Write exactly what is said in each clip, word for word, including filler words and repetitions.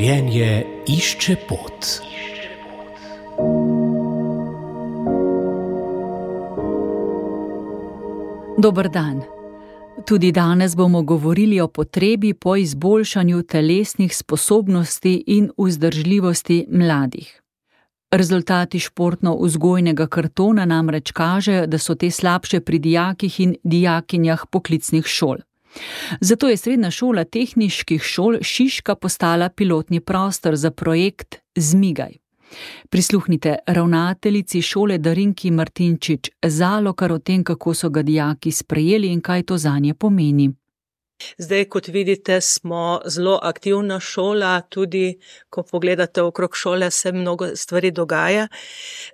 Življenje išče pot. Dober dan. Tudi danes bomo govorili o potrebi po izboljšanju telesnih sposobnosti in vzdržljivosti mladih. Rezultati športno-vzgojnega kartona namreč kažejo, da so te slabše pri dijakih in dijakinjah poklicnih šol. Zato je Srednja šola tehniških šol Šiška postala pilotni prostor za projekt Zmigaj. Prisluhnite ravnateljici šole Darinki Martinčič Zalokar o tem, kako so ga dijaki sprejeli in kaj to zanje pomeni. Zdaj, kot vidite, smo zelo aktivna šola, tudi ko pogledate okrog šole, se mnogo stvari dogaja.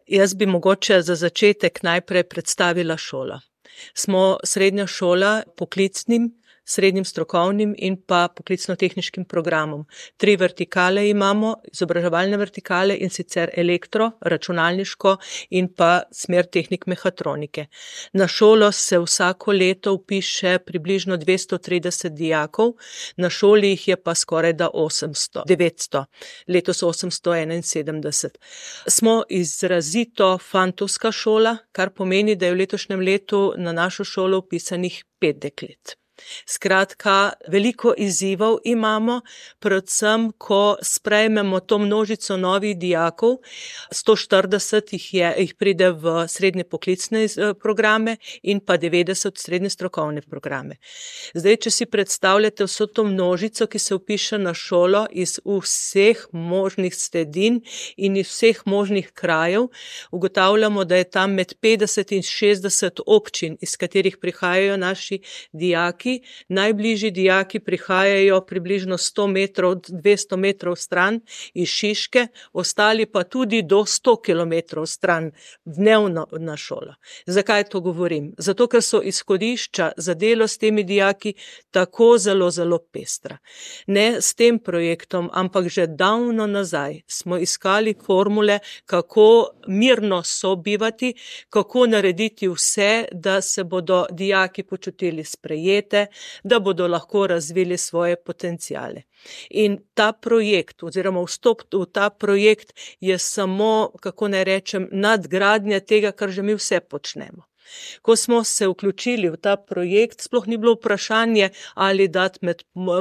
Jaz bi mogoče za začetek najprej predstavila šolo. Smo srednja šola poklicnim, srednjim strokovnim in pa poklicno-tehniškim programom. Tri vertikale imamo, izobraževalne vertikale, in sicer elektro, računalniško in pa smer tehnik mehatronike. Na šolo se vsako leto vpiše približno dvesto trideset dijakov, na šoli jih je pa skoraj da osemsto, devetsto, letos osemsto enainsedemdeset. Smo izrazito fantovska šola, kar pomeni, da je v letošnjem letu na našo šolo vpisanih pet deklet. Skratka, veliko izzivov imamo, predvsem, ko sprejmemo to množico novih dijakov, sto štirideset jih, je, jih pride v srednje poklicne programe in pa devetdeset v srednje strokovne programe. Zdaj, če si predstavljate vso to množico, ki se vpiše na šolo iz vseh možnih sredin in iz vseh možnih krajev, ugotavljamo, da je tam med petdeset in šestdeset občin, iz katerih prihajajo naši dijaki. Najbližji dijaki prihajajo približno sto metrov, dvesto metrov stran iz Šiške, ostali pa tudi do sto kilometrov stran dnevno na šolo. Zakaj to govorim? Zato, ker so izhodišča za delo s temi dijaki tako zelo, zelo pestra. Ne s tem projektom, ampak že davno nazaj smo iskali formule, kako mirno sobivati, kako narediti vse, da se bodo dijaki počutili sprejete, da bodo lahko razvili svoje potenciale. In ta projekt oziroma vstop v ta projekt je samo, kako naj rečem, nadgradnja tega, kar že mi vse počnemo. Ko smo se vključili v ta projekt, sploh ni bilo vprašanje, ali dati med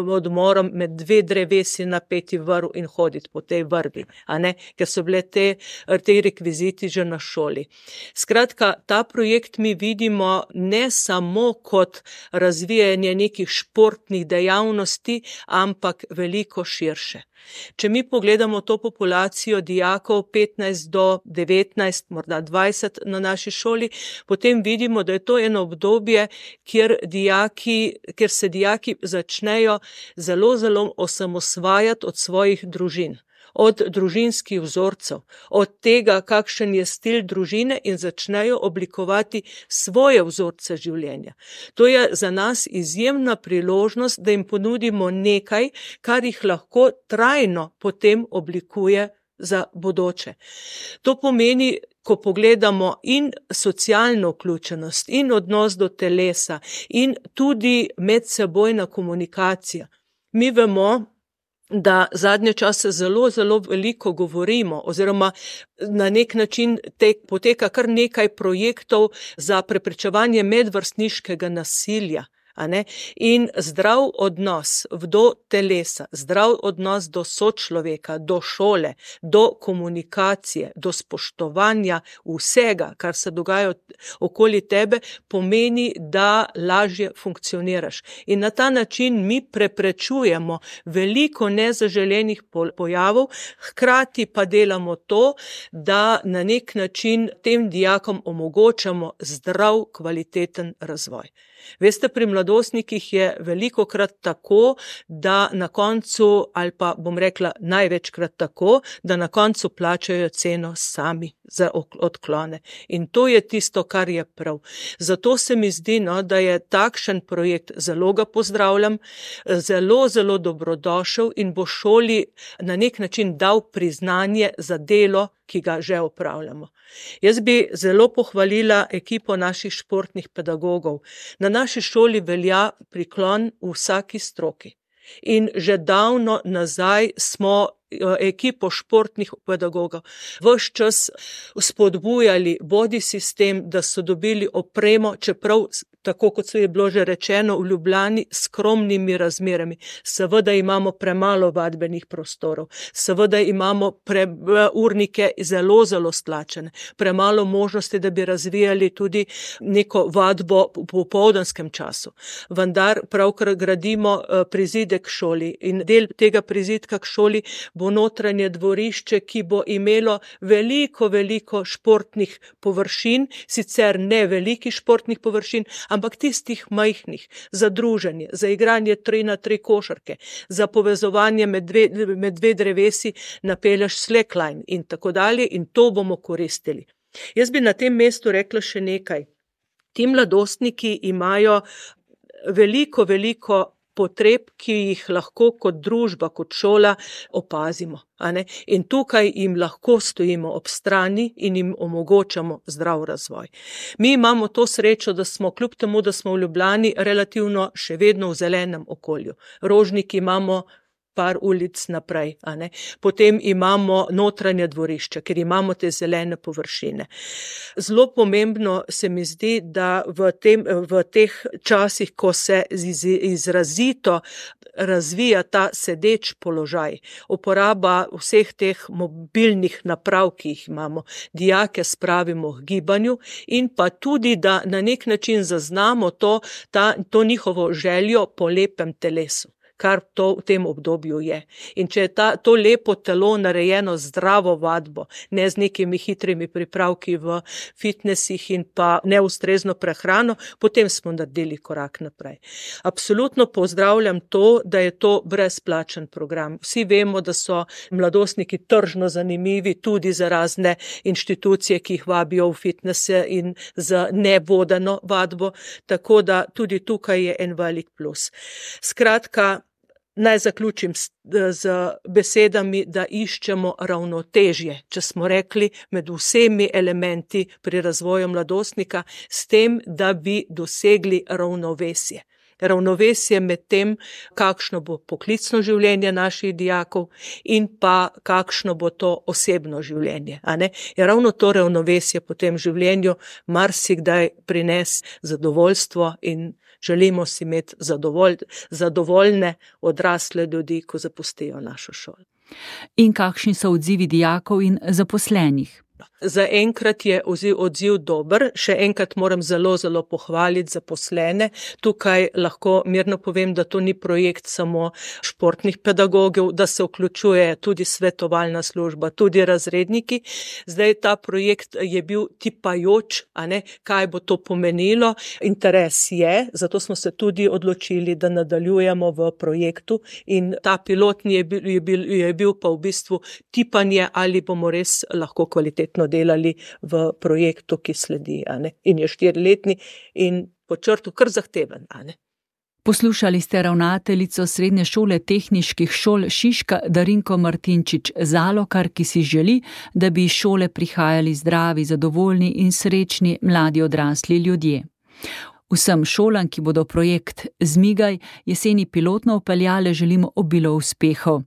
odmorom med dve drevesi napeti vrv in hoditi po tej vrvi, a ne, ker so bile te, te rekviziti že na šoli. Skratka, ta projekt mi vidimo ne samo kot razvijanje nekih športnih dejavnosti, ampak veliko širše. Če mi pogledamo to populacijo dijakov petnajst do devetnajst, morda dvajset na naši šoli, potem vidimo, da je to eno obdobje, kjer dijaki, kjer se dijaki začnejo zelo, zelo osamosvajati od svojih družin, od družinskih vzorcev, od tega, kakšen je stil družine, in začnejo oblikovati svoje vzorce življenja. To je za nas izjemna priložnost, da jim ponudimo nekaj, kar jih lahko trajno potem oblikuje za bodoče. To pomeni, ko pogledamo in socialno vključenost, in odnos do telesa, in tudi medsebojna komunikacija. Mi vemo, da zadnje čase zelo, zelo veliko govorimo oziroma na nek način te, poteka kar nekaj projektov za preprečevanje medvrstniškega nasilja. A ne? In zdrav odnos do telesa, zdrav odnos do sočloveka, do šole, do komunikacije, do spoštovanja vsega, kar se dogaja okoli tebe, pomeni, da lažje funkcioniraš. In na ta način mi preprečujemo veliko nezaželenih pojavov, hkrati pa delamo to, da na nek način tem dijakom omogočamo zdrav, kvaliteten razvoj. Veste, pri mladostnikih je velikokrat tako, da na koncu, ali pa bom rekla največkrat tako, da na koncu plačajo ceno sami za odklone. In to je tisto, kar je prav. Zato se mi zdi, no, da je takšen projekt, zelo ga pozdravljam, zelo, zelo dobrodošel in bo šoli na nek način dal priznanje za delo, ki ga že opravljamo. Jaz bi zelo pohvalila ekipo naših športnih pedagogov. Na naši šoli velja priklon v vsaki stroki. In že davno nazaj smo ekipo športnih pedagogov ves čas spodbujali bodi sistem, da so dobili opremo, čeprav tako kot se je bilo že rečeno, v Ljubljani s skromnimi razmerami. Seveda imamo premalo vadbenih prostorov, seveda imamo pre, urnike zelo, zelo stlačene, premalo možnosti, da bi razvijali tudi neko vadbo v popoldanskem času. Vendar pravkar gradimo prizidek šoli in del tega prizidka k šoli bo notranje dvorišče, ki bo imelo veliko, veliko športnih površin, sicer ne velikih športnih površin, ampak tistih majhnih, za druženje, za igranje tri na tri košarke, za povezovanje med dve, med dve drevesi napelješ slackline in tako dalje in to bomo koristili. Jaz bi na tem mestu rekla še nekaj. Ti mladostniki imajo veliko, veliko potreb, ki jih lahko kot družba, kot šola opazimo. A ne? In tukaj jim lahko stojimo ob strani in jim omogočamo zdrav razvoj. Mi imamo to srečo, da smo kljub temu, da smo v Ljubljani relativno še vedno v zelenem okolju. Rožnik imamo par ulic naprej, a ne. Potem imamo notranje dvorišče, ker imamo te zelene površine. Zelo pomembno se mi zdi, da v, tem, v teh časih, ko se iz, izrazito razvija ta sedeč položaj, uporaba vseh teh mobilnih naprav, ki jih imamo, dijake spravimo k gibanju in pa tudi, da na nek način zaznamo to, ta, to njihovo željo po lepem telesu, kar to v tem obdobju je. In če je ta, to lepo telo narejeno zdravo vadbo, ne z nekimi hitrimi pripravki v fitnesih in pa neustrezno prehrano, potem smo naredili korak naprej. Absolutno pozdravljam to, da je to brezplačen program. Vsi vemo, da so mladostniki tržno zanimivi tudi za razne inštitucije, ki jih vabijo v fitnese in za nevodeno vadbo, tako da tudi tukaj je en velik plus. Skratka, naj zaključim z, z besedami, da iščemo ravnotežje, če smo rekli, med vsemi elementi pri razvoju mladostnika, s tem, da bi dosegli ravnovesje. Ravnovesje med tem, kakšno bo poklicno življenje naših dijakov in pa kakšno bo to osebno življenje. A ne? Je ravno to ravnovesje po tem življenju marsikdaj prines zadovoljstvo in želimo si imeti zadovolj, zadovoljne odrasle ljudi, ko zapustijo našo šolo. In kakšni so odzivi dijakov in zaposlenih? Za enkrat je odziv, odziv dober, še enkrat moram zelo, zelo pohvaliti zaposlene. Tukaj lahko mirno povem, da to ni projekt samo športnih pedagogov, da se vključuje tudi svetovalna služba, tudi razredniki. Zdaj ta projekt je bil tipajoč, a ne, kaj bo to pomenilo. Interes je, zato smo se tudi odločili, da nadaljujemo v projektu in ta pilotni je bil, je bil, je bil pa v bistvu tipanje, ali bomo res lahko kvalitetno delali v projektu, ki sledi, a ne? In je štiriletni in po črtu kar zahteven, a ne? Poslušali ste ravnateljico Srednje šole tehniških šol Šiška Darinko Martinčič Zalokar, ki si želi, da bi iz šole prihajali zdravi, zadovoljni in srečni mladi odrasli ljudje. Vsem šolam, ki bodo projekt Zmigaj jeseni pilotno vpeljale, želimo obilo uspehov.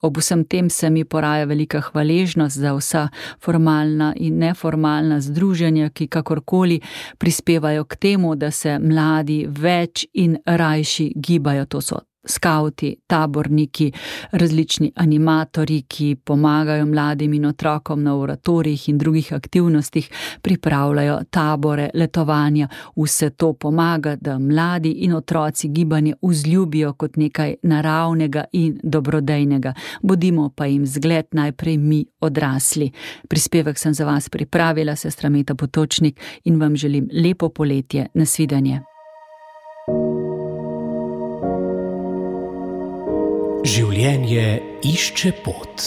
Ob vsem tem se mi poraja velika hvaležnost za vsa formalna in neformalna združenja, ki kakorkoli prispevajo k temu, da se mladi več in rajši gibajo. To so skavti, taborniki, različni animatorji, ki pomagajo mladim in otrokom na oratorijih in drugih aktivnostih, pripravljajo tabore, letovanja. Vse to pomaga, da mladi in otroci gibanje vzljubijo kot nekaj naravnega in dobrodejnega. Bodimo pa jim zgled najprej mi odrasli. Prispevek sem za vas pripravila, sestra Meta Potočnik, in vam želim lepo poletje. Nasvidenje. Življenje išče pot.